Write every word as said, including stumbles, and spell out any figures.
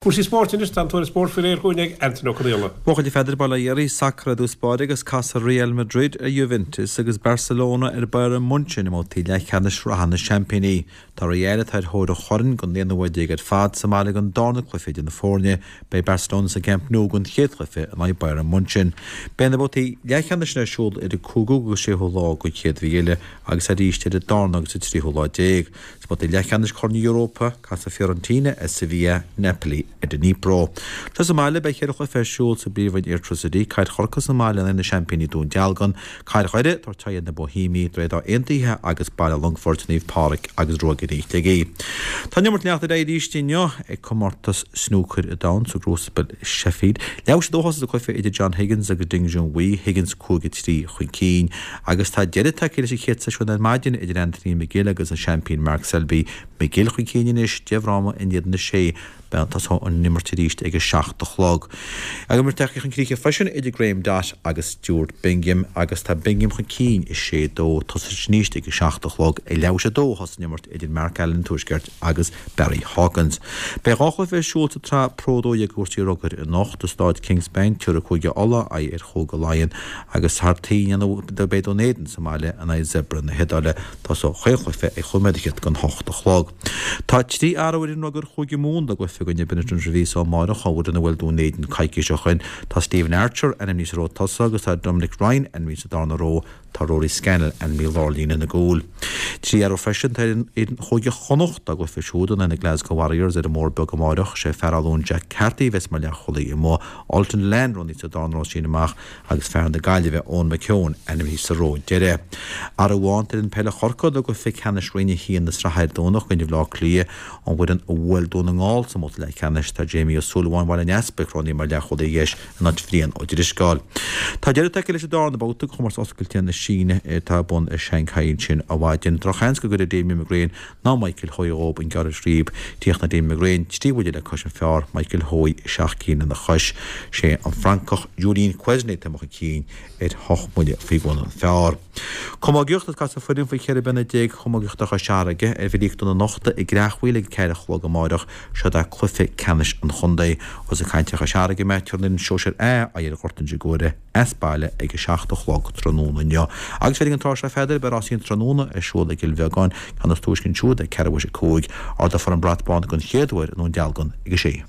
Cúrsaí spóirt anois, tá an tuairisc spóirt faoi réir chugainn ag Antaine Ó Conaola. Buachaillí Pheadair Baile Dhéirí, sacar i dtús báire agus casfaidh Real Madrid ar Juventus agus Barcelona ar Bayern Munchen i mbabhtaí leathcheannais reatha na Seaimpíní. Tá Real, atá ar thóir an choirn don aonú huair déag ar fad, sa mbaile don darna cluiche idir na foirne. Beidh Barcelona sa gCamp Nou don chéad chluiche in aghaidh Bayern Munchen. Beidh na babhtaí leathcheannais ar siúl idir an cúigiú agus séú lá den chéad mhí eile agus arís idir an darna agus an tríú lá déag. Sna babhtaí leathcheannais Chorn na hEorpa, casfaidh Fiorentina ar Sevilla, Napoli ar Dnipro. Anseo sa mbaile, beidh ceithre chluiche ar siúl sa bpríomhroinn Airtricity, Caid Chorcaí sa mbaile in aghaidh na seaimpíní Dún Dealgan, Caid Dhoire ag tabhairt aghaidh ar na Boihéamaigh, Droichead Átha Aontaithe agus Baile Longfoirt, Naomh Pádraig agus Ruagairí Shligigh. Tá an imirt ag leanacht ar aghaidh arís inniu ag comórtas snúcair an domhain sa gCrucible i Sheffield. Leathuair tar éis a dó a thosaigh an cluiche idir John Higgins agus Ding Junhui, Higgins cúig a trí chun cinn, agus tá deireadh tagtha leis an chéad seisiún ar maidin idir Anthony McGill agus an seaimpín Mark Selby. McGill chun cinn anois, deich bhfráma in éadan a sé. Tosóidh an imirt arís ag a seacht a chlog. An imirt tagtha chun críche freisin idir Graeme Dott agus Stuart Bingham agus tá Bingham chun cinn a sé dó. Tosóidh sé arís ag a seacht a chlog. Ag leathuair tar éis a dó a thosaigh an imirt idir Mark Allen an Tuaiscirt agus Barry Hawkins. Beidh dhá chluiche ar siúl sa tsraith Pro dó dhéag i gcúrsaí rugair anocht i Stáid Kingspan, tabharfaidh Cúige Uladh aghaidh ar Chúige Laighean agus thar toinn beidh Dún Éideann sa mbaile in aghaidh Zebre na hIodáile. Tosóidh chaon chluiche ag chúig nóiméad fhichead don hocht a chlog. Tá trí athrú ar fhoireann rugair Chúige Mumhan dá gcluiche i gcoinne Benetton Treviso amárach, an fhoireann a bhuail Dún Éideann coicís ó shin. Tá Stephen Archer ainmnithe sa ró tosaigh agus tá Dominic Ryan ainmnithe sa darna ró. Tá Rory Scannell ainmnithe i lár líne na gcúl. Trí athrú freisin atá ar fhoireann Chúige Chonnacht dá gcluiche siúd in aghaidh na Glasgow Warriors ar an mBóthar Beag amárach. Sé fear Áth Luain Jack Carthy a bheas mar leathchúlaí amuigh. Ultan Dillane roghnaithe sa darna ró as sin amach agus fear na Gaillimhe Eoin McKeown ainmnithe sa ró deiridh. Athrú amháin ar fhoireann peile Chorcaí dá gcluiche ceannais Roinn a haon na sraithe ar Domhnach i gcoinne Bhaile Átha Cliath, an bhfoireann a bhuail Dún na nGall sa mbabhta leathcheannais. Tá Jamie Ó Súilleabháin Bhaile an Easpaig roghnaithe mar leathchúlaí dheis in áit Bhrian Ó Drisceoil. Tá deireadh tagtha leis an darna babhta de chomórtas oscailte na Síne atá ar bun i Shanghai ansin ar maidin. Drochsheans go gcuirfidh Damien McGrane ná Michael Hoey dhóibh an gearradh scríb. Chríochnaigh Damien McGrane trí bhuille le cois an phar, Michael Hoey seacht gcinn lena chois. Sé an Francach Julien Quesnay atá imithe chun cinn ar hocht mbuille faoi bhun an phar. Camógaíocht, Is casfaidh foireann faoi cheithre bliana déag chamógaíochta Chois Fharraige ar Bhille Íochtar na Nochta i gCreachmhaoil ag ceathair a chlog amáireach. Seod é cluiche ceannais an chontae. Ós ag caint ar Chois Fharraige mé, tabharfaidh an fhoireann Sóisear A aghaidh ar Ghort Inse Guaire as baile ag a seacht a chlog tráthnóna inniu. Agus féir ag an tráth seo a Pheadair, beidh rásaí an tráthnóna ar siúl i gCill Bheagáin, ceann is túisce ansiúd ag ceathrú théis a cúig. Ardófar an brat bán den chéad uair i nDún Dealgan ag a sé.